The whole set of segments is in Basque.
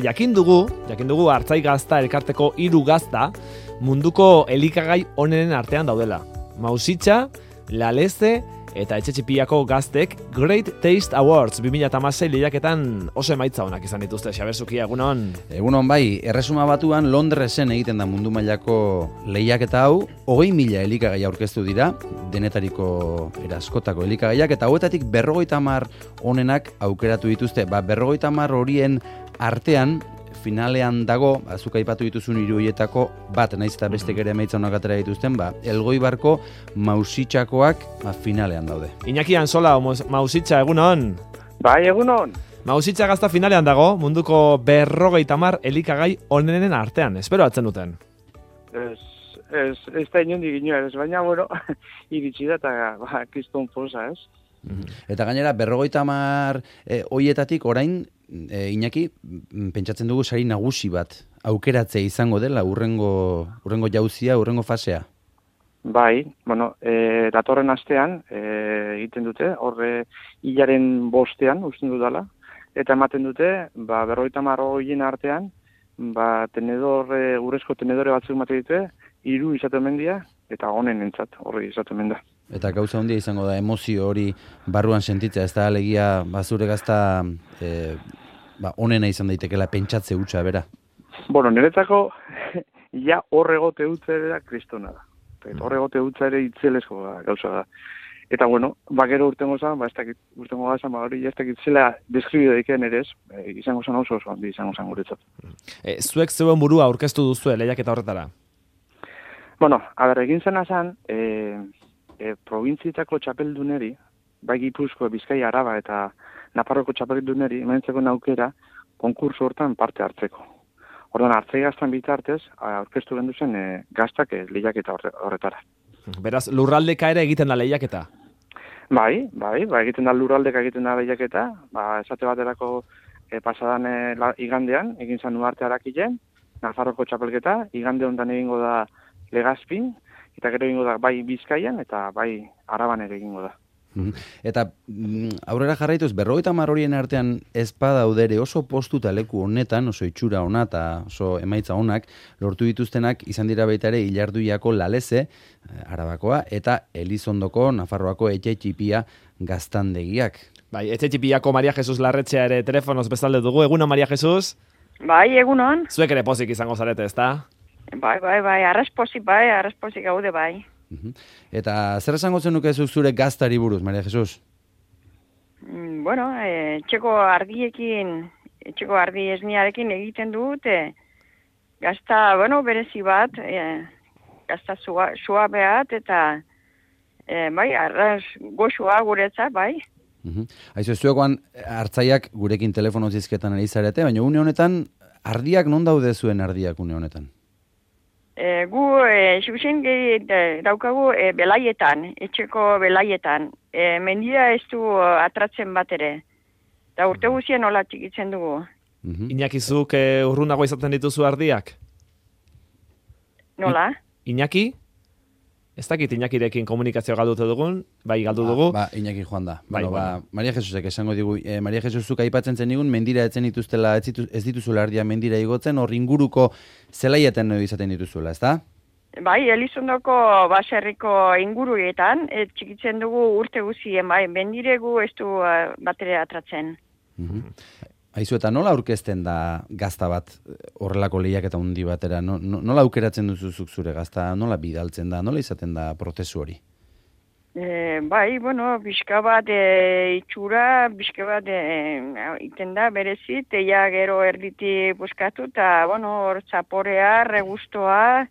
Jakin dugu Artzai Gazta elkarteko 3 gazta munduko elikagai onenen artean daudela. Mausitxa, Laleze eta Etxetxipiako gaztek Great Taste Awards 2016 lehiaketan oso emaitza onak izan dituzte. Xaber Zukia, egunon? Egunon bai, Erresuma Batuan Londresen egiten da mundu mailako lehiaketa hau, 20.000 elikagai aurkeztu dira, denetariko eraskotako elikagaiak, eta hauetatik 50 onenak aukeratu dituzte. 50 horien artean, finalean dago, zuk aipatu dituzun 3 horietako bat, naiz eta bestek ere emaitza onak atera dituzten, Elgoibarko Mausitxakoak finalean daude. Iñaki Ansola, Mausitxa, egunon? Bai, egunon. Mausitxa Gazta finalean dago, munduko 50 elikagai onenen artean, espero atzen duten. Ez da inondik inoa, baina, bueno, iritsi da eta kriston posa, ez? Eta gainera, 50 hoietatik orain, Iñaki, pentsatzen dugu sari nagusi bat aukeratzea izango dela urrengo jauzia, urrengo fasea. Bai, bueno, datorren astean egiten dute, horre hilaren 5ean usten dudala, eta ematen dute, 50 horien artean, urrezko tenedore batzuk ematen dute, 3 izaten mendia, eta honen entzat, horri izaten menda. Eta gauza handia izango da, emozio hori barruan sentitzea, ez da alegia zure gazta onena izan daitekela pentsatze hutsa, bera? Bueno, niretzako, ja horregote hutsa ere da kristona da. Horregote hutsa ere itzelesko gauza da. Eta bueno, gero urtengo zan, hori ez dakit zela deskribio daiken ere ez, izango zan oso handi izango zan guretzat. Zuek zeuen burua aurkeztu duzue lehiaketa horretara? Bueno, egin zena zan, probintzietako txapelduneri, bai Gipuzko, Bizkaia, Araba eta Nafarroko txapelduneri, ementzeko aukera konkurso hortan parte hartzeko. Orduan, Artzai Gaztan bitartez, aurkeztu gendu zen gaztak lehiaketa horretara. Beraz, lurraldeka ere egiten da lehiaketa? Bai, egiten da lurraldeka egiten da lehiaketa, esate baterako pasadan igandean, egin zan Uarte Arakilen, Nafarroko txapelketa, igande hontan egingo da Legazpin, eta gero egingo da bai Bizkaian eta bai Araban ere egingo da. Eta aurrera jarraituz, 50 horien artean ez badaudere oso postu eta leku honetan, oso itxura ona eta oso emaitza onak, lortu dituztenak izan dira baita ere Ilarduiako Laleze, Arabakoa, eta Elizondoko Nafarroako Etxetxipia gaztandegiak. Bai, Etxetxipiako Maria Jesus Larretxea ere telefonoz bezalde dugu. Egunon, Maria Jesus? Bai, egunon. Zuek ere pozik izango zarete, ezta? Bai, arraspozik gaude bai. Eta zer esango zenuke zure gaztari buruz, Maria Jesus? Bueno, etxeko ardi esniarekin egiten dut, gazta, berezi bat, gazta sua behat, eta arras goxua guretzat, bai. Aizu, zuekoan Artzaiak gurekin telefono zizketan ari zarete, baina une honetan, ardiak non daude zuen ardiak une honetan? Gu, xuxen daukagu belaietan, etxeko belaietan. Mendira ez du atratzen bat ere. Eta urte guzien nola txikitzen dugu. Iñakizuk urrunago izaten dituzu ardiak? Nola? Iñaki? Ez dakit Iñakirekin komunikazio galdute dugun, bai galdu dugu. Iñaki joan da. Maria Jesusek esango digu, Maria Jesusuk aipatzen zen digun, mendira etzen dituztela, ez dituzula ardia mendira igotzen, hor inguruko zelaietan izaten dituzuela, ez da? Bai, Elizondoko baserriko inguruetan, txikitzen dugu urte guzien, bai, mendiregu ez du batere atratzen. Aizu, eta nola aurkezten da gazta bat horrelako lehiaketa handi batera? Nola aukeratzen duzuzuk zure gazta? Nola bidaltzen da? Nola izaten da prozesu hori? Bai, pixka bat itxura, pixka bat iten da berezit, eia gero erditi buskatu, eta, hor zaporea, regustoa,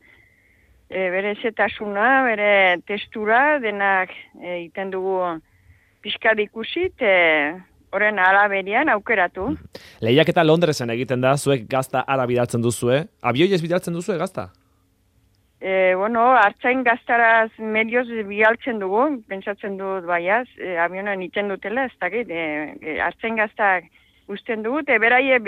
bere zetasuna, bere testura, denak iten dugu pixka dikusit, horren araberian aukeratu. Lehiaketa Londresen egiten da, zuek gazta ara bidaltzen duzue. Abioiez bidaltzen duzue gazta? Artzain gaztaraz medioz bidaltzen dugu, pentsatzen dut baiaz, avionan iten dutela, ez dakit, artzain gaztak usten dugu, beraie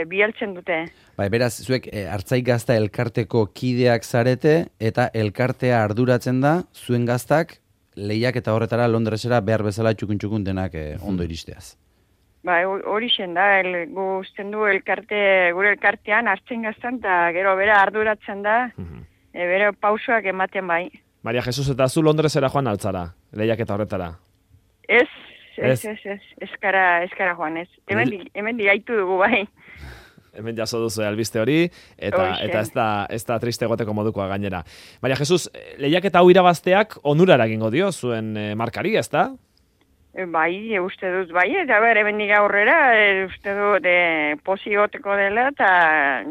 bidaltzen dute. Bai, beraz, zuek Artzai Gazta elkarteko kideak zarete, eta elkartea arduratzen da, zuen gaztak lehiaketa horretara Londresera behar bezala txukun denak ondo iristeaz. Ba, hori zen da, guztien du gure elkartean hartzen gaztan, eta gero bera arduratzen da, bere pausoak ematen bai. Maria Jesus, eta zu Londresera joan altzara, lehiaketa horretara? Ez, eskara joan, ez. Hemen digaitu dugu bai. Hemen jaso duzu albiste hori, eta ez da triste egoteko modukoa gainera. Maria Jesus, lehiaketa hau irabazteak onurara egingo dio zuen markari, ez da? Bai, uste dut, bai, eta hemen diga aurrera, uste dut posi goteko dela, eta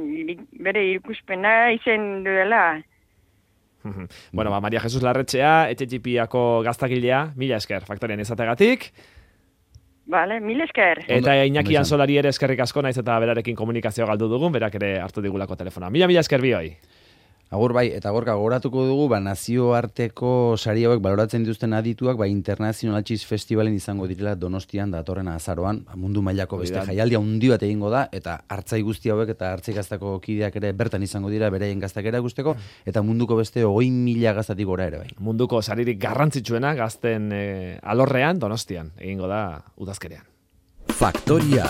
bere ikuspena izen duela. Bueno, Maria Jesus Larretxea, Etxetxipiako gaztakilea, mila esker, faktorian izategatik. Vale, mil esker. Eta Iñaki Ansolari ere eskerrik asko, naiz eta berarekin komunikazioa galdu dugun, berak ere hartu digulako telefona. Mila esker bioi. Agur bai, eta gorka gogoratuko dugu, nazioarteko sari hauek baloratzen dituzten adituak, International Cheese Festivalen izango direla Donostian datorren azaroan, mundu mailako beste jaialdia handi bat egingo da, eta hartzai guzti hauek eta hartzai gaztako kideak ere bertan izango dira, beraien gaztak erakusteko, eta munduko beste 20.000 gaztatik gora ere bai. Munduko saririk garrantzitsuena gazten alorrean Donostian egingo da udazkerean. Faktoria.